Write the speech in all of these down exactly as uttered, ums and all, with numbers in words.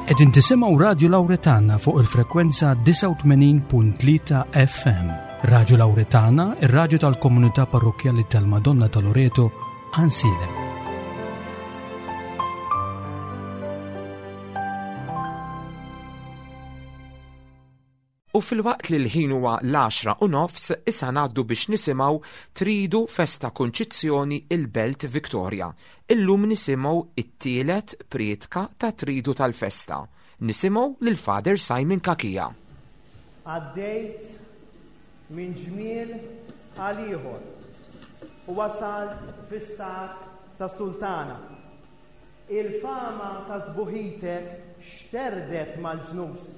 Qegħdin tisimgħu Radio Lauretana fuq il-frekwenza disgħa u tmenin punt tlieta F M. Radio Lauretana, ir-raġu tal-komunità parrokjali tal-Madonna ta' Loreto, Għajnsielem. U filwaqt li l-ħin huwa l-għaxra u nofs, issa ngħaddu biex nisimgħu Tridu Festa Kunċizzjoni, il-Belt Victoria. Illum nisimgħu it-tielet prietka ta' Tridu tal-Festa. Nisimgħu lil Father Simon Cachia. Għaddejt minn ġmiel għal ieħor u wasalt fi stat ta' sultana. Il-fama ta' sbuħitek xterdet mal-ġnus,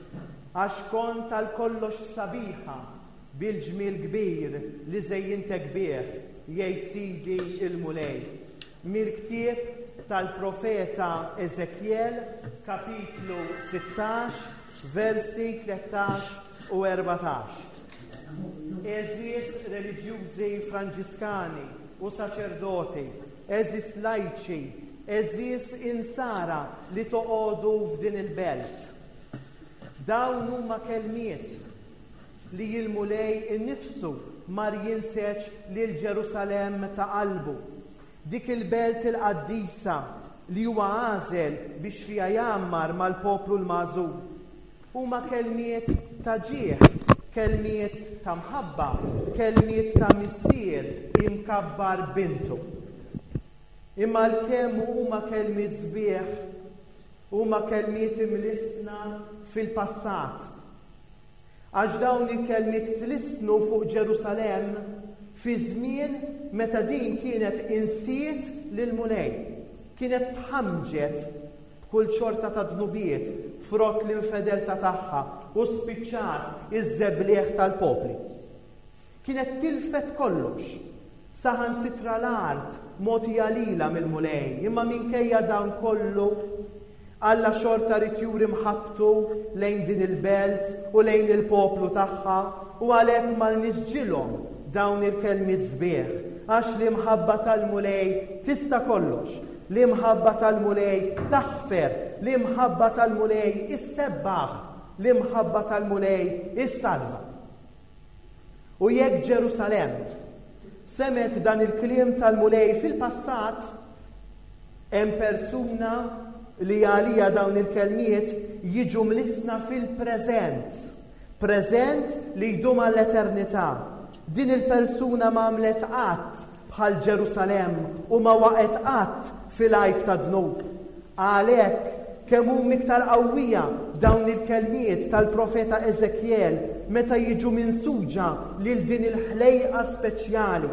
għax kont għal kollox sabiħa bil-ġmiel kbir li żejjintek bih, jgħid Sidi il-Mulej. Mill-ktieb tal-profeta Ezekiel, kapitlu sittax, versi tlettax u erbatax. Għeżież reliġjużi franġiskani u saċerdoti, għeżież lajċi, għeżież insara li toqogħdu f'din il-belt. Dawn huma kelmiet li il-Mulej innifsu mar jinseġ lil Ġerusalemm ta' qalbu. Dik il-belt il-qaddisa li huwa għażel biex fiha jgħammar mal-poplu l-magħżul. Huma kelmiet ta' ġieħ, kelmiet ta' mħabba, kelmiet ta' missier imkabbar bintu. Imma l-kemm huma kelmiet sbieħ, huma kelmiet imlissna fil-passat. Għax dawn il-kelmiet tlissnu fuq Ġerusalemm fi żmien meta din kienet insiet lil-Mulej, kienet tħamġet b'kull xorta ta' dnubiet frott l-infedeltà tagħha u spiċċat iż-żebliħ tal-popli. Kienet tilfet kollox, saħansitra l-art mogħtija lilha mill-Mulej, imma minkejja dan kollu Alla xorta ried juri mħabbtu lejn din il-belt u lejn il-poplu tagħha u għalhekk mar nisġilhom dawn il-kelmiet sbieħ, għax l-imħabba tal-Mulej tista' kollox, l-imħabba tal-Mulej taħfer, l-imħabba tal-Mulej issebbaħ, l-imħabba tal-Mulej issalva. U jekk Ġerusalemm semgħet dan il-kliem tal-Mulej fil-passat, hemm persuna li għalija dawn il-kelmiet jiġu mlissna fil-preżent, preżent li jdum għall-eternità. Din il-persuna ma għamlet qatt bħal Ġerusalemm u ma waqgħet qatt fil-għajb ta' dnub. Għalhekk kemm huma iktar qawwija dawn il-kelmiet tal-profeta Ezekiel meta jiġu minsuġa lil din il-ħlejqa speċjali.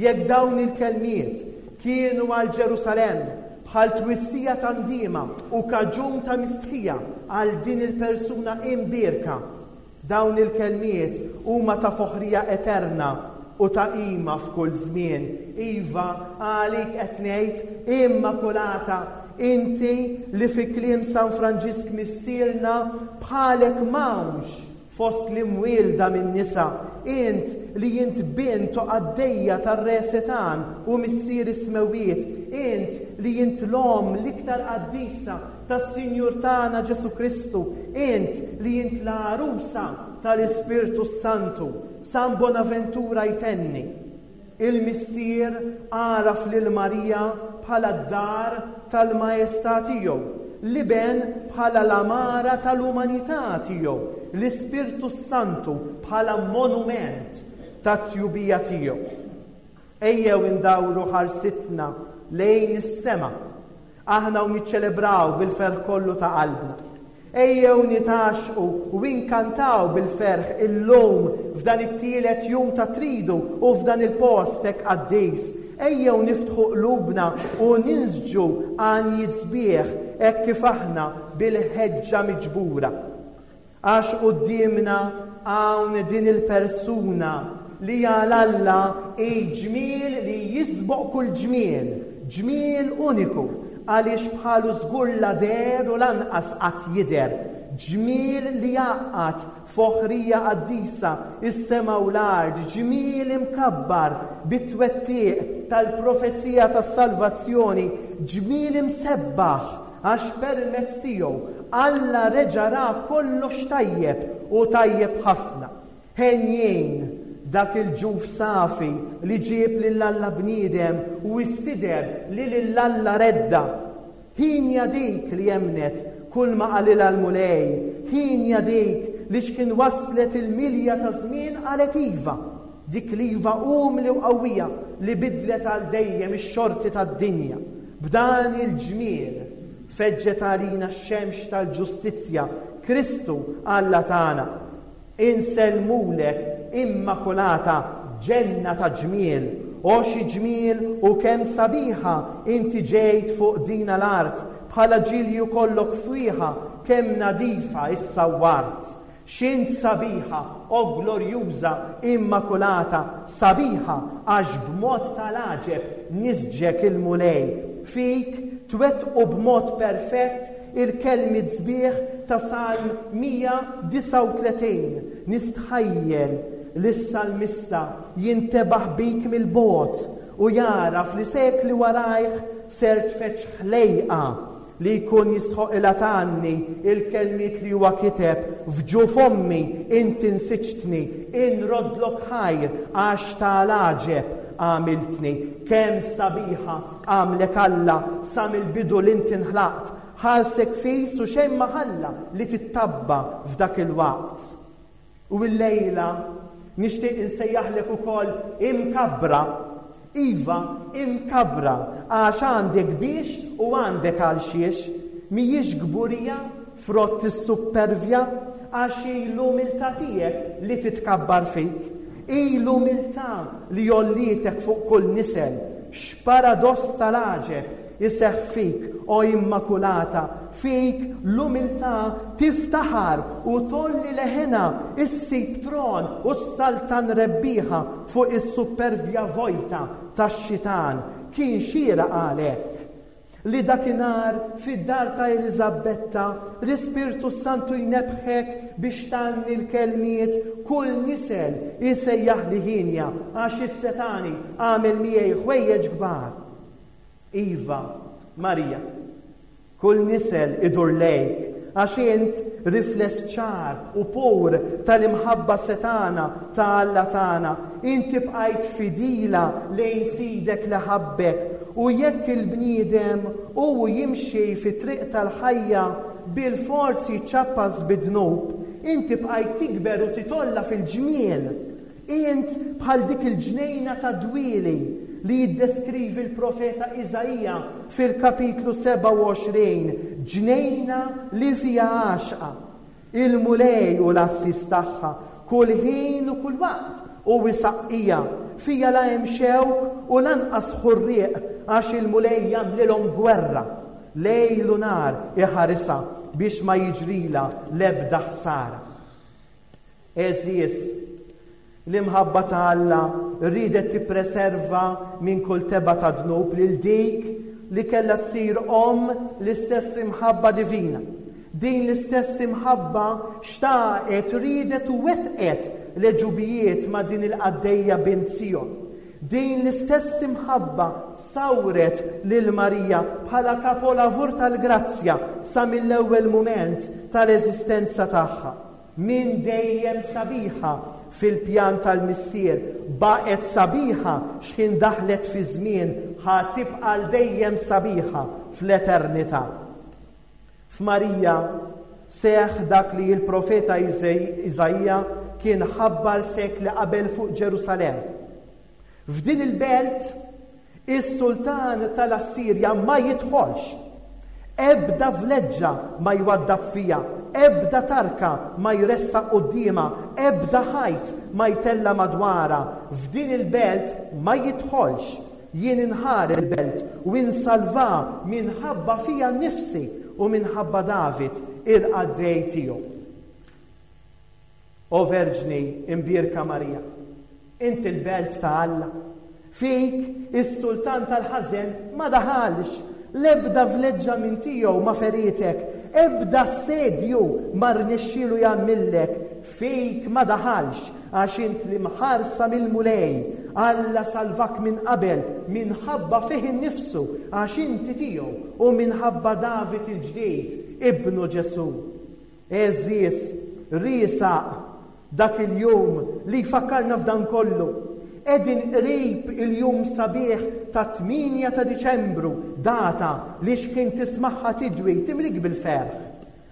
Jekk dawn il-kelmiet kienu għal Ġerusalemm bħal twissija ta' ndima u kaġun ta' mistħija għal din il-persuna imbierka, dawn il-kelmiet huma ta' foħrija eterna u ta' qima f'kull żmien. Iva, għalik qed ngħid, Immakulata, inti li fi kliem San Franġisk missierna bħalek m'hawnx fost l-imwielda minn nisa, int li int bint u qaddejja tar-Re Setan u Missier is-Smewwiet, int li int l-omm l-iktar qaddisa tas-Sinjur tagħna Ġesu Kristu, int li int l-għarusa tal-Ispirtu Santu. San Bonaventura jtenni: Il-Missier għaraf lil Marija bħala d-dar tal-Maestà tiegħu, l-Iben bħala l-amara tal-umanità tiegħu, l-Ispirtu Santu bħala monument tat-tjubija tiegħu. Ejjew indawru ħarsitna lejn is-sema, aħna u niċċelebraw bil-ferħ kollu ta' qalbna. Ejjew nitgħaxxqu u inkantaw bil-ferħ illum f'dan it-tielet jum ta' Tridu u f'dan il-post hekk qaddis. Ejjew niftħu qlubna u ninsġu għanjiet sbieħ hekk kif aħna bil-ħeġġa miġbura. Għax quddiemna hawn din il-persuna li għal Alla ġmiel li jisboq kull ġmiel, ġmiel uniku, għaliex bħalu żgur la deher u lanqas qatt jidher, ġmiel li jgħaqqad foħrija qaddisa is-sema u l-art, ġmiel imkabbar bit-twettiq tal-profezija tas-salvazzjoni, ġmiel imsebbaħ għax permezz tiegħu Alla reġa' ra kollox tajjeb u tajjeb ħafna. Henjin dak il-ġuf safi li ġieb lil Alla bniedem u s-sider li lil Alla redda. Ħienja dik li emmnet kull ma qalilha l-Mulej, ħienja dik li x'kien waslet il-milja ta' żmien qalet iva, dik l-iva umli u qawwija li bidlet għal dejjem ix-xorti tad-dinja. B'dan il-ġmiel feġġet għalina x-xemx tal-ġustizzja, Kristu Alla tagħna. Insellmulek, Immakulata, ġenna ta' ġmiel, o xi ġmiel u kemm sabiħa inti ġejt fuq dina l-art, bħala ġilju kollok fwieħa, kemm nadifa issawwart. X'int sabiħa, o glorjuża, Immakulata, sabiħa għax b'mod tal-għaġeb nisġek il-Mulej. Fik twettqu b'mod perfett il-kelmiet sbieħ ta' Salm mija disgħa u tletin. Nistħajjel li s-salmista jintebaħ bik mill-bogħod u jaraf li sekli warajh ser tfeċ ħlejqa li jkun jistħoqilha tgħanni il-kelmiet li huwa kiteb: f'ġuf ommi inti nsiġtni, inroddlok ħajr għax tal-għaġeb għamiltni. Kemm sabiħa għamlek Alla sa mill-bidu li inti nħlaqt, ħarsek fis u xejn ma ħalla li tittabba f'dak il-waqt. U l-lejla nixtieq insejjaħlek ukoll imkabbra. Iva, imkabbra, għax għandek biex u għandek għal xiex. Mhijiex kburija frott is-suppervja, għax hi l-umiltà tiegħek li titkabbar fik. Hi l-umiltà li jollitek fuq kull nisel. X'paradoss tal-għaġeb iseħħ fik, o Immakulata, fik l-umiltà tiftaħar u tolli leħena, issib tron u s-saltan rebbieħa fuq is-supervja vojta tax-xitan. Kien xieraq għalhekk li dakinhar fid-dar ta' Eliżabetta l-Ispirtu Santu jnebħek biex tgħanni l-kelmiet kull nisel isejjaħ li ħinja, għax is-setani għamel miegħi ħwejjeġ kbar. Iva, Marija, kull nisel idur lejk, għax int rifless ċar u pur tal-imħabba setana ta' Alla tagħna. Inti bqajt fidila lejn sidek li ħabbek, u jekk il-bniedem hu jimxi fi triq tal-ħajja bil-forsi ċappas bid-dnub, inti bqajt tikber u titolla fil-ġmiel. Int bħal dik il-ġnejna ta' dwieli li jiddeskrivi l-profeta Iżaija fil-kapitlu sebgħa u għoxrin, ġnejna li fija għaxqa. Il-Mulej u l-assis tagħha kull ħin u kull waqt u wisaqqija, fija la hemm xewk u lanqas ħurrieq, għax il-Mulej jagħmlilhom gwerra. Lejl u nar iħarisha biex ma jiġrila l-ebda ħsara. Għeżież, l-imħabba ta' Alla riedet tippreserva minn kull teba' ta' dnub lil dik li kellha ssir omm l-istess imħabba divina. Din l-istess imħabba xtaqet, riedet u wettqet l-għeġubijiet ma' din il-qaddejja bint Sion. Din l-istess imħabba sawret lil Marija bħala kapolavur tal-grazzja sa mill-ewwel mument tal-eżistenza tagħha. Min dejjem sabiħa fil-pjan tal-Missier, baqgħet sabiħa x'ħin daħlet fi żmien, ħa tibqa' l dejjem sabiħa fl-eternità. F'Marija seħ dak li l-profeta Iżaija kien ħabbar sekli qabel fuq Ġerusalemm. F'din il-belt is-sultan tal-Assirja ma jidħolx, ebda vleġġa ma jwaddab fija, ebda tarka ma jressaq quddiemha, ebda ħajt ma jtella madwarha. F'din il-belt ma jidħolx. Jien inħar il-belt u insalva minħabba fija nnifsi u minħabba David il-qaddej tiegħu. O Verġni imbierka Marija, inti l-belt ta' Alla. Fik is-sultan tal-ħażen ma daħalx, l-ebda vleġġa minn tiegħu ma ferietek, ebda sedju ma rnexxielu jagħmillek fik ma daħalx, għax int li mħarsa mill-Mulej, Alla salvak minn qabel, minħabba fih innifsu, għax inti tiegħu, u minħabba David il-ġdid, ibnu Ġesù. Għeżież, riesaq dak il-jum li jfakkarna f'dan kollu. Qegħdin qrib il-jum sabiħ ta' tmienja ta' Diċembru, data li x'kien tismagħha tidwi timlik bil-ferħ.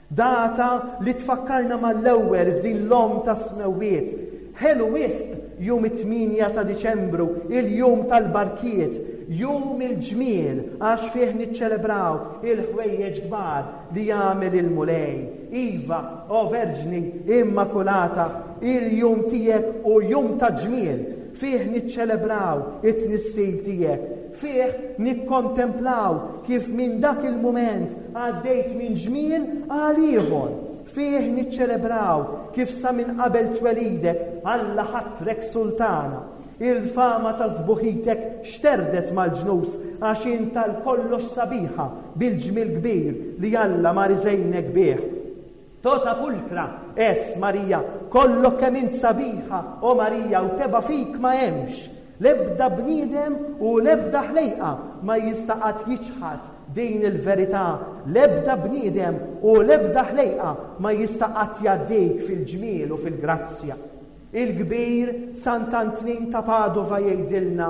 Data li tfakkarna mal-ewwel f'din l-omm tas-smewwiet. Ħelu wisq jum it-tmienja ta' Diċembru, il-jum tal-barkiet, jum il-ġmiel, għax fih niċċelebraw il-ħwejjeġ kbar li jagħmel il-Mulej. Iva, o Verġni Immakulata, il-jum tiegħek hu jum ta' ġmiel, fih niċċelebraw it-tnissil tiegħek, fih nikkontemplaw kif minn dak il-mument għaddejt minn ġmiel għal ieħor, fih niċċelebraw kif sa minn qabel twelidek Alla ħatrek sultana. Il-fama ta' sbuħitek xterdet mal-ġnus għax int għal kollox sabiħa bil-ġmiel kbir li Alla mar iżejnek bih. Tota pulcra es Marija, kollok kemm int sabiħa, o Marija, u teba' fik ma hemmx. L-ebda bniedem u l-ebda ħlejqa ma jista' qatt jiċħad din il-verità. L-ebda bniedem u l-ebda ħlejqa ma jista' qatt jgħaddik fil-ġmiel u fil-grazzja. Il-kbir Sant'Antnin ta' Padova jgħidilna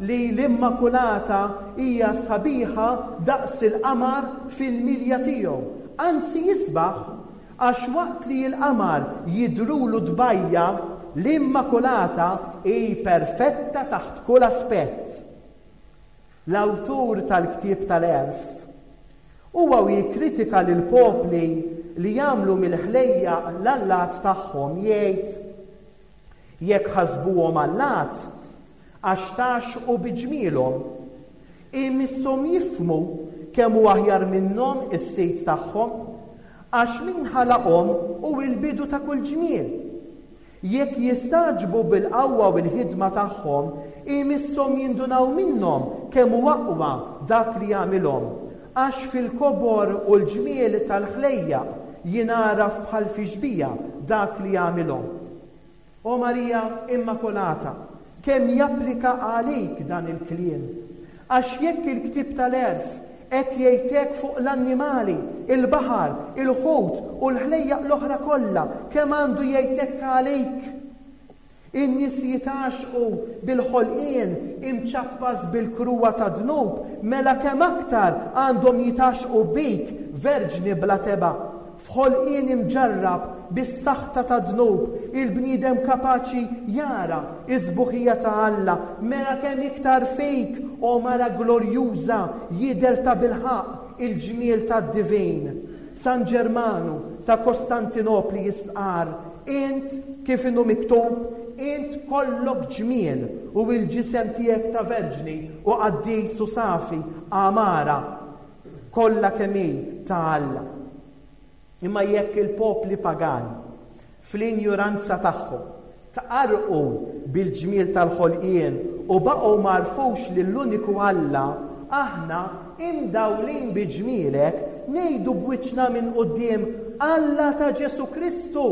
li l-Immakulata hija sabiħa daqs il-qamar fil-milja tiegħu, anzi jisbaħ, għax waqt li l-qamar jidrulu tbajja, l-Immakulata hi perfetta taħt kull aspett. L-awtur tal-ktieb tal-Għerf huwa u jikkritika lil popli li jagħmlu mill-ħlejja l-allat tagħhom, jgħid: jekk ħasbuhom allat, għax tgħaxxqu bi ġmielhom, imisshom jifhmu kemm hu aħjar minnhom is-sid tagħhom, għax min ħalaqhom hu l-bidu ta' kull ġmiel. Jekk jistagħġbu bil-qawwa u l-ħidma tagħhom, imisshom jindunaw minnhom kemm hu aqwa dak li jagħmilhom, għax fil-kobor u l-ġmiel tal-ħlejja jingħaraf bħal fi xbieha dak li jagħmilhom. O Marija Immakulata, kemm japplika għalik dan il-kliem? Għax jekk il-ktieb tal-Għerf qed jgħidlek fuq l-annimali, il-baħar, il-ħut u l-ħlejjaq l-oħra kollha, kemm għandu jgħidlek għalik? In-nies jitgħaxqu bil-ħolqien imċappas bil-kruwa ta' dnub, mela kemm aktar għandhom jitgħaxqu bik, Verġni bla teba'. F'ħolqien imġarrab bis-saħta ta' dnub, il-bniedem kapaċi jara is-sbuħija ta' Alla, mela kemm iktar fik, o mara glorjuża, jidher ta' bilħaqq il-ġmiel tad-divin. San Ġermanu ta' Kostantinopli jistqar: int kif inhu miktub, int kollok ġmiel u l-ġisem tiegħek ta' verġni u qaddis u safi, għamara kollha kemm hi ta' Alla. Imma jekk il-popli pagani fl-injuranza tagħhom tqarrqu bil-ġmiel tal-ħolqien u baqgħu m'għarfux lill-uniku Alla, aħna imdawlin bi ġmielek ngħidu b'wiċċna minn quddiem: Alla ta' Ġesù Kristu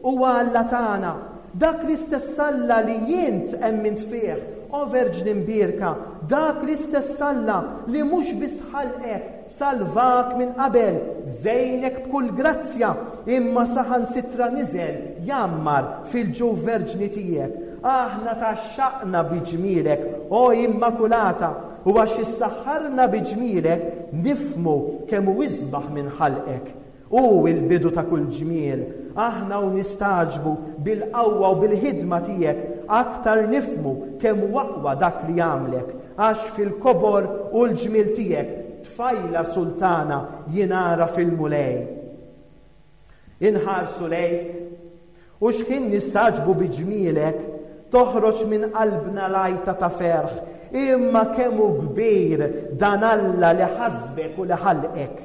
huwa Alla tagħna, dak l-istess Alla li int emmint fih, o Verġni Mbierka, dak l-istess Alla li mhux biss ħalqek, salvak minn qabel, żejnek b'kull grazzja, imma saħansitra niżel jgħammar fil-ġuf verġni tiegħek. Aħna tgħaxxaqna bi ġmielek, o Immakulata, u għax issaħħarna bi ġmielek nifhmu kemm hu isbaħ minn ħalqek. Hu l-bidu ta' kull ġmiel. Aħna u nistagħġbu bil-qawwa u bil-ħidma tiegħek, aktar nifhmu kemm hu aqwa dak li jagħmlek, għax fil-kobor u l-ġmiel tiegħek tfajla sultana jingħara fil-Mulej. Inħarsu lejk u x'ħin nistagħġbu bi ġmielek, toħroġ minn qalbna lajta ta' ferħ, imma kemm hu kbir dan Alla li ħasbek u li ħalqek.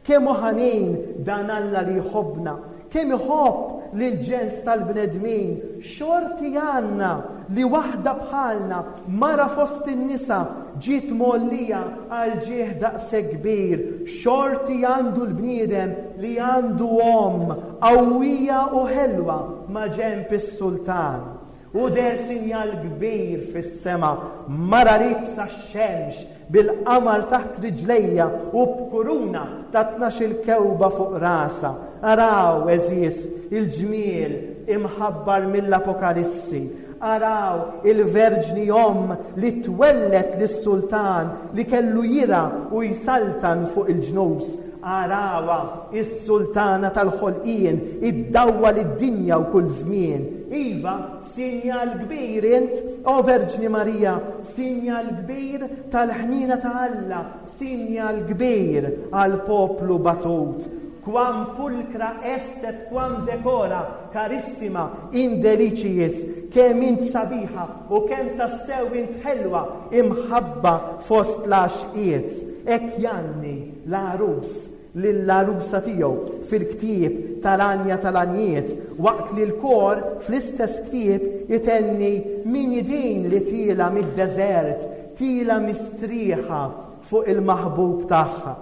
Kemm hu ħanin dan Alla li jħobbna, kemm iħobb lill-ġens tal-bnedmin. Xorti għandna li waħda bħalna, mara fost in-nisa, ġiet mgħollija għal ġieħ daqshekk kbir. Xorti għandu l-bniedem li għandu omm qawwija u ħelwa ma' ġenb is-sultan. U deher sinjal kbir fis-sema, mara liebsa x-xemx, bil-qamar taħt riġlejha u b'kuruna ta' tnax-il kewba fuq rasha. Araw, għeżież, il-ġmiel imħabbar mill-Apokalissi. Araw il-Verġni Omm li twelled lis-sultan li kellu jirgħa u jsaltan fuq il-ġnus. Arawha is-sultana tal-ħolqien, iddawwal id-dinja u kull żmien. Iva, sinjal kbir int, o Verġni Marija, sinjal kbir tal-ħniena ta' Alla, sinjal kbir għal poplu batut. Quam pulcra es et quam decora, carissima in deliciis, kemm int sabiħa u kemm tassew int ħelwa, imħabba fost l-għaxqiet. Hekk jgħanni l-għarus lill-għarusa tiegħu fil-ktieb tal-Għanja tal-Għanjiet, waqt li l-kor fl-istess ktieb itenni min hi din li tiela mid-deżert, tiela mistrieħa fuq il-maħbub tagħha.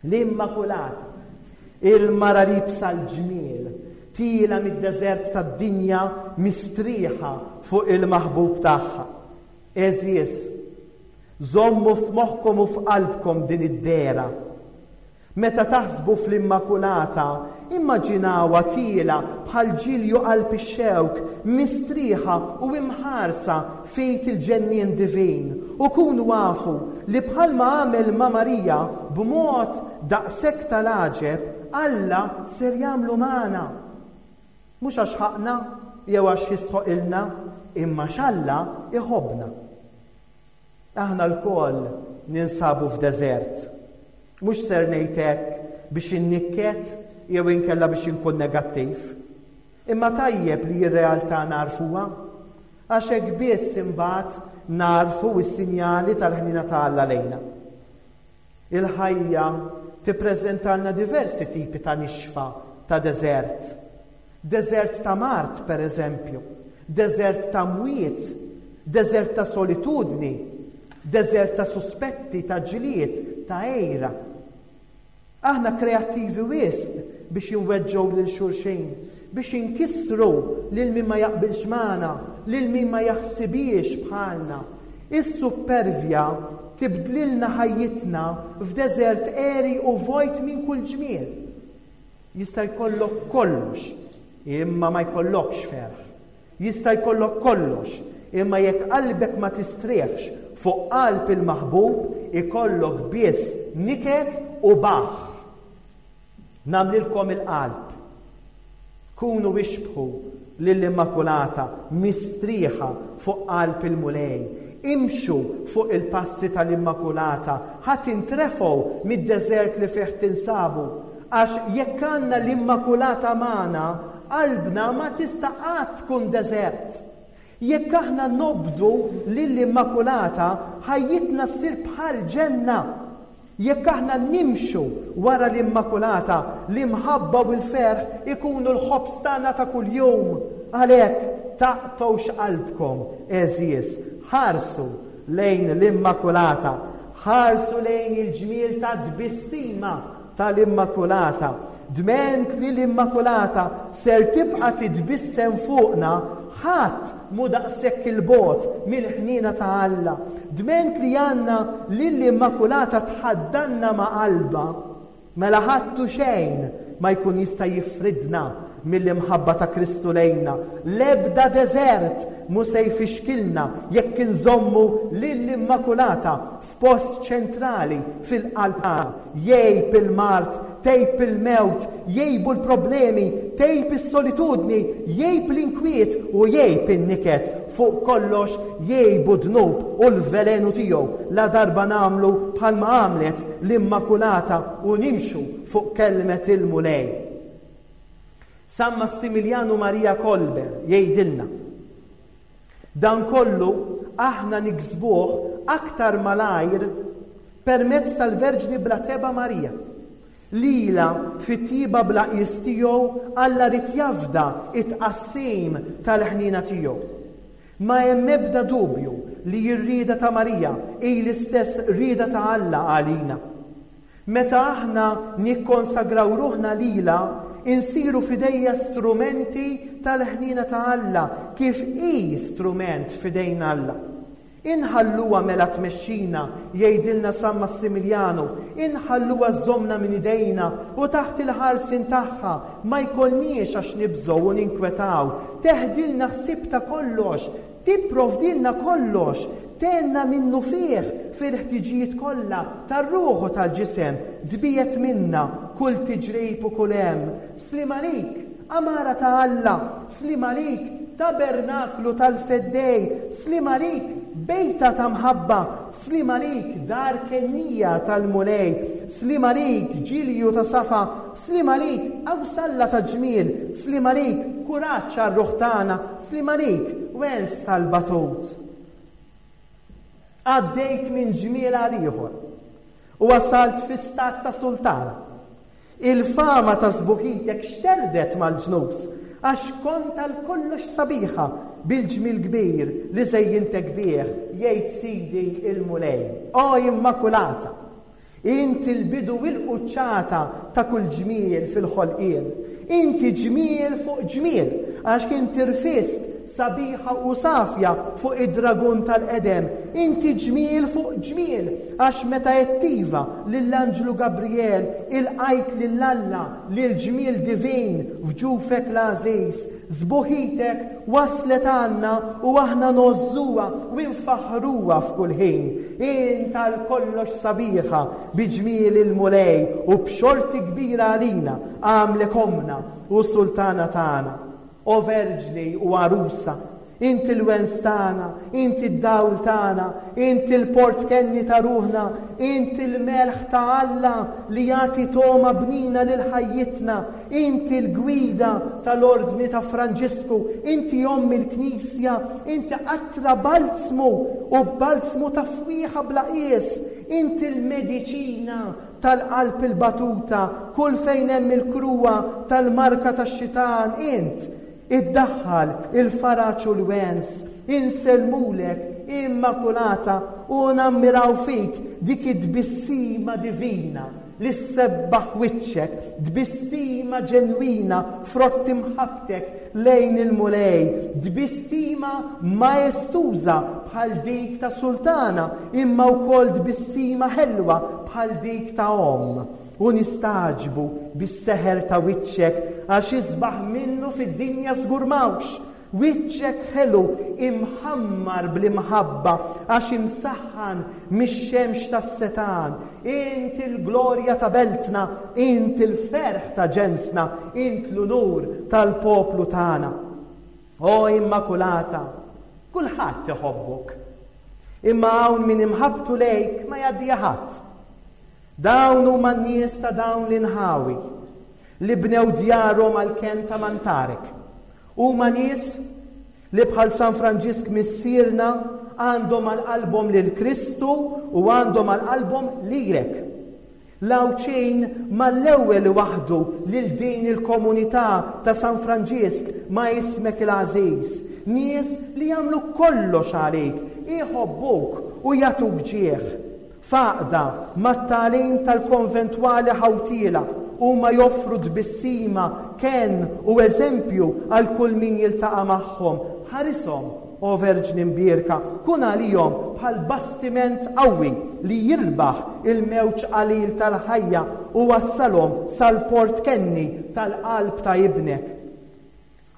L-Immakulata, il-mara liebsa l-ġmiel, tiela mid-deżert tad-dinja mistrieħa fuq il-maħbub tagħha. Għeżież, żommu f'moħħkom u f'qalbkom din id-dehra. Meta taħsbu fl-Immakulata, immaġinawha tiela bħal ġilju qalb ix-xewk, mistrieħa u imħarsa fejt il-ġennien divin. U kunu għafu li bħalma għamel ma' Marija b'mod daqshekk tal-għaġeb, Alla ser jagħmlu magħna. Mhux għax ħaqna jew għax jistħoqilna, imma x'Alla iħobbna. Aħna lkoll ninsabu f'deżert. Mhux ser ngħid hekk biex innikket jew inkella biex inkun negattiv. Imma tajjeb li r-realtà narfuha, għax hekk biss imbagħad narfu s-sinjali tal-ħniena ta' Alla lejna. Il-ħajja tippreżentalna diversi tipi ta' nixfa ta' deżert. Deżert ta' mard, per eżempju, deżert ta' mwiet, deżert ta' solitudni, deżert ta' suspetti, ta' ġlied, ta' għira. Aħna kreattivi wisq biex inweġġgħu lil xulxin, biex inkissru lil min ma jaqbilx magħna, lil min ma jaħsibiex bħalna. Is-suppervja tibdlilna ħajjitna f'deżert għeri u vojt minn kull ġmiel. Jista' jkollok kollox, imma ma jkollokx ferħ. Jista' jkollok kollox, imma jekk qalbek ma tistrieħx fuq qalb il-maħbub, ikollok biss niket u baħ. Nagħmlilkom il-qalb. Kunu ixbħu lill-Immakulata mistrieħa fuq qalb il-Mulej. Imxu fuq il-passi tal-Immakulata, ħa tintrefgħu mid-deżert li fih tinsabu, għax jekk għandna l-Immakulata magħna, qalbna ma tista' qatt tkun deżert. Jekk aħna nobdu lill-Immakulata, ħajjitna ssir bħal ġenna. Jekk aħna nimxu wara l-Immakulata, l-imħabba u l-ferħ ikunu l-ħobż tagħna ta' kuljum. Għalhekk taqtgħux qalbkom, għeżież, ħarsu lejn l-Immakulata, ħarsu lejn il-ġmiel ta' tbissima tal-Immakulata. Dment li l-Immakulata ser tibqa' titbissem fuqna, ħadd mu daqshekk il-bogħod mill-ħniena ta' Alla. Dment li għandna lill-Immakulata tħaddanna ma' qalbha, mela ħadd u xejn ma jkun jista' jifridna mill-imħabba ta' Kristu lejna. L-ebda deżert mu se jfixkilna jekk inżommu lill-Immakulata f'post ċentrali fil-qalb. Jgħib il-mard, tgħib il-mewt, jgħibu l-problemi, tgħib is-solitudni, jgħib l-inkwiet u jgħib in-niket. Fuq kollox jgħibu dnub u l-velenu tiegħu la darba nagħmlu bħalma għamlet l-Immakulata u nimxu fuq kelmet il-Mulej. San Massimiljanu Maria Kolbe jgħidilna, dan kollu aħna niksbuh aktar malajr permezz tal-Verġni bla tebgħa Marija, Lilha fit-tjieba bla qies tiegħu Alla ried jafda it-tqassim tal-ħniena tiegħu. Ma hemm ebda dubju li r-rieda ta' Marija hi l-istess rieda ta' Alla għalina. Meta aħna nikkonsagraw ruħna lilha, insiru f'idejha strumenti tal-ħniena ta' Alla, kif hi strument f'idejn Alla. Inħalluha mela tmexxina, jgħidilna San Massimiljanu, inħalluha żżommna minn idejna u taħt il-ħarsien tagħha ma jkollniex għax nibżgħu u ninkwetaw. Teħdilna ħsieb ta' kollox, tipprovdilna kollox, tgħinna minnufih fil-ħtiġijiet kollha tar-ruħ u tal-ġisem, tbiegħed minna kull tiġrib u kull hemm. Sliem għalik, għamara ta' Alla, sliem għalik, tabernaklu tal-Feddej, sliem għalik, bejta ta' mħabba, sliem għalik, dar kennija tal-Mulej, sliem għalik, ġilju ta' safa, sliem għalik, qawsalla ta' ġmiel, sliem għalik, kuraġġ għar-ruħ tagħna, sliem għalik, wens tal-batut. Għaddejt minn ġmiel għal ieħor u wasalt fi stat ta' sultana. Il-fama ta' sbuħitek xterdet mal-ġnus, għax kont għal kollox sabiħa bil-ġmiel kbir li żejjintek bih, jgħid Sidi il-Mulej. O Immakulata, inti l-bidu u l-quċċata ta' kull ġmiel fil-ħolqien. Inti ġmiel fuq ġmiel, għax inti rfist sabiħa u safja fuq id-dragun tal-qedem. Inti ġmiel fuq ġmiel, għax meta għedt iva lill-Anġlu Gabriel ilqajt lil Alla lil ġmiel divin f'ġufek l-għażiż. Sbuħitek waslet għandna u aħna ngħożżuha u nfaħħruha f'kull ħin. Int għal kollox sabiħa bi ġmiel il-Mulej u b'xorti kbira għalina għamlek ommna u sultana tagħna. O Verġni u għarusa, inti l-wens tagħna, inti d-dawl tagħna, inti l-port kenni ta' ruħna, inti l-melħ ta' Alla li jagħti togħma bnina lil ħajjitna, inti l-gwida tal-Ordni ta' Franġisku, inti omm il-Knisja, inti qatra balzmu u balzmu ta' fwieħa bla qies, inti l-mediċina tal-qalb il-batuta, kull fejn hemm il-kruha tal-marka tax-xitan, int iddaħħal il-faraġ u l-wens, insellmulek Immakulata u nammiraw fik dik id-tbissima divina li ssebbaħ wiċċek, tbissima ġenwina frott imħabbtek lejn il-Mulej, tbissima maestuża bħal dik ta' sultana, imma wkoll tbissima ħelwa bħal dik ta' omm. U nistagħġbu bis-seħer ta' wiċċek għax isbaħ minnu fid-dinja żgur m'hawnx. Wiċċek ħelu imħammar bl-imħabba għax imsaħħan mix-xemx tas-setan. Int il-glorja ta' beltna, int il-ferħ ta' ġensna, int l-unur tal-poplu tagħna. O Immakulata, kulħadd iħobbok, imma hawn min imħabbtu lejk ma jgħaddiha ħadd. Dawn huma n-nies ta' dawn l-inħawi li bnew djarhom għall-kenn ta' mantarek. Huma nies li bħal San Franġisk missierna għandhom għal qalbhom lil Kristu u għandhom għal qalbhom lilek. L-Għawdxin mal-ewwel waħdu lil din il-komunità ta' San Franġisk ma' ismek il-għażiż. Nies li jagħmlu kollox għalik, iħobbuk u jagħtuk ġieħ. Faqda mat-tagħlim tal-konventwali ħawtiela huma joffru tbissima, kenn u eżempju għal kull min jiltaqa' magħhom. Ħarishom, o Verġni Mbierka, kun għalihom bħal bastiment qawwi li jirbaħ il-mewġ qalil tal-ħajja u wassalhom sal-port kenni tal-qalb ta' ibnek.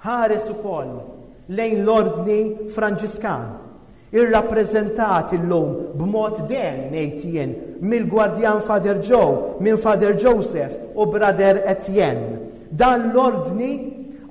Ħares ukoll lejn l-Ordni Franġiskan, irrappreżentat illum b'mod den ngħid jien mill-Gwardjan Father Joe, minn Father Joseph u Brother Etienne. Dan l-ordni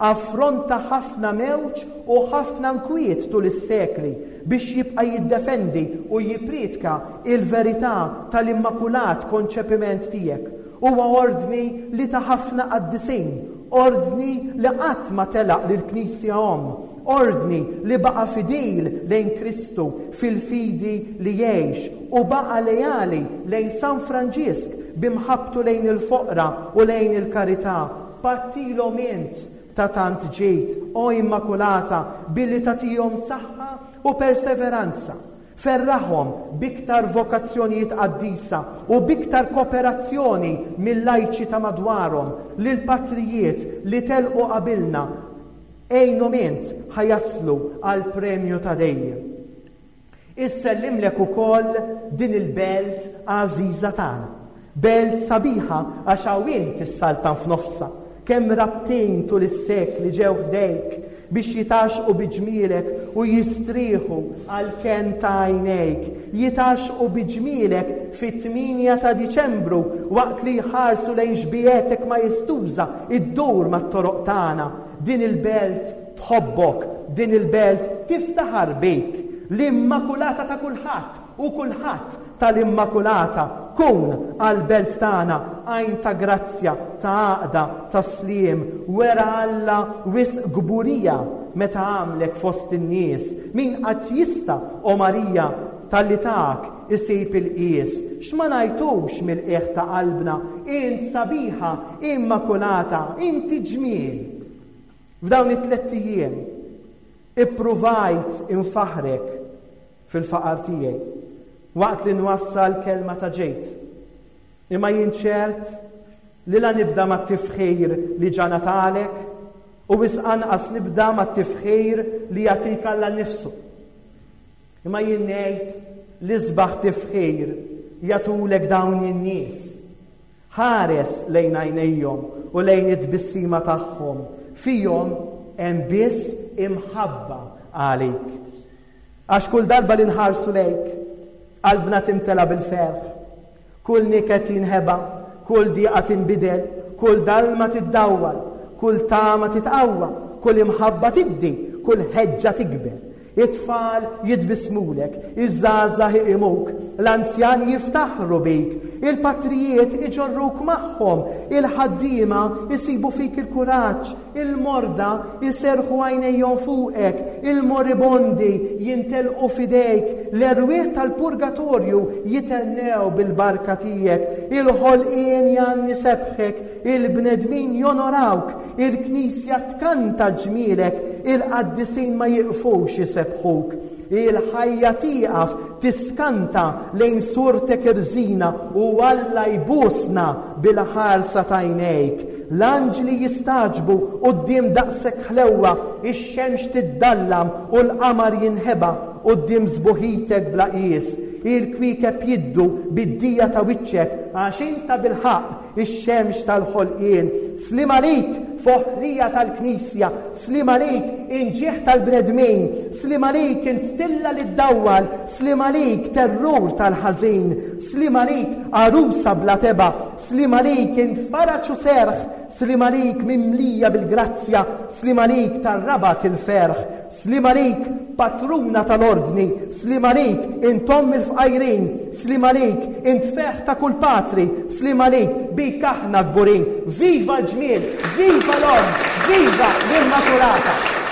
affronta ħafna mewġ u ħafna nkwiet tul is-sekli biex jibqa' jiddefendi u jippriedka il-verità tal-Immakulat Konċepiment tiegħek. Huwa ordni li ta' ħafna qaddisin, ordni li qatt ma telaq lill-Knisja omm, Ordni li baqa' fidil lejn Kristu fil-fidi li jgħix u baqa' leali lejn San Franġisk b'imħabbtu lejn il-foqra u lejn il-karità. Pattilhom int ta' tant ġid, o Immakulata, billi tagħtihom saħħa u perseveranza. Ferraħhom b'iktar vokazzjonijiet qaddisa u b'iktar kooperazzjoni mill-lajċi ta' madwarhom, lill-patrijiet li telqu qabilna, għinhom int ħa jaslu għall-premju ta' dejjem. Issellimlek ukoll din il-belt għażiża tagħna. Belt sabiħa għax hawn int issaltan f'nofsha. Kemm rabtin tul is-sekli ġew ħdejk biex jitgħaxxqu bi ġmielek u jistrieħu għall-kenn ta' għajnejk. Jitgħaxxqu bi ġmielek fit-tmienja ta' Diċembru waqt li jħarsu lejn xbiehetek majestuża ddur mat-toroq tagħna. Din il-belt tħobbok, din il-belt tiftaħar bik. L-Immakulata ta' kulħadd u kulħadd tal-Immakulata, kun għall-belt tagħna għajn ta' grazzja, ta' għaqda, ta' sliem. Wera Alla wisq kburija meta għamlek fost in-nies. Min qatt jista', o Marija, talli tak isib il-qies? X'ma ngħidux mill-qiegħ ta' qalbna, int sabiħa, Immakulata, inti ġmiel. F'dawn it-tlett ijiem ippruvajt infaħrek fil-faqar tiegħi waqt li nwassal kelma ta' ġejt. Imma jien ċert li la nibda mat-tifħir li ġa ngħatalek u wisq anqas nibda mat-tifħir li jagħtik Alla nnifsu. Imma jien ngħid li sbaħ tifħir jagħtulek dawn in-nies. Ħares lejn għajnejhom u lejn it-tbissima tagħhom. Fihom hemm biss imħabba għalik. Għax kull darba li nħarsu lejk, qalbna timtela bil-ferħ. Kull niket jinħeba, kull diqa tinbidel, kull dalma tiddawwal, kull tama titqawwa, kull imħabba tiddi, kull ħeġġa tikber. It-tfal jitbissmulek, iż-żgħażagħ iqimuk, l-anzjani jiftaħru bik, il-patrijiet iġorruk magħhom, il-ħaddiema jsibu fik il-kuraġġ, il-morda jserrħu għajnejhom fuqek, il-moribondi jintelqu f'idejk, l-erwieħ tal-purgatorju jitennew bil-barka tiegħek, il-ħolqien jgħanni sebħek, il-bnedmin jonorawk, il-knisja tkanta ġmielek, il-qaddisin ma jiqfux jsebbħuk. Il-ħajja tieqaf tiskanta lejn surtek irżina u Alla jbusna bil-ħarsa t'għajnejk. L-anġli jistagħġbu quddiem daqshekk ħlewwa, ix-xemx tiddallam u l-qamar jinħeba quddiem sbuħitek bla qies. Il-kwiekeb jiddu bid-dija ta' wiċċek għax inta bil-ħaqq ix-xemx tal-ħolqien. Sliem għalik, foħrija tal-Knisja, sliem għalik, inġieħ tal-bnedmin, sliem għalik, instilla li ddawwal, sliem għalik, terrur tal-ħażin, sliem għalik, għarusa bla tebgħa, sliem għalik, int faraġ u serħ, sliem għalik, mimlija bil-grazzja, sliem għalik, tar-rabat il-ferħ, sliem għalik, patruna tal-ordni, sliem għalik, int omm il-fqajrin, sliem għalik, int ferħ ta' kull patri, sliem għalik, bik aħna kburin. Viva l-ġmiel, viva l-omm, viva l-Immakulata!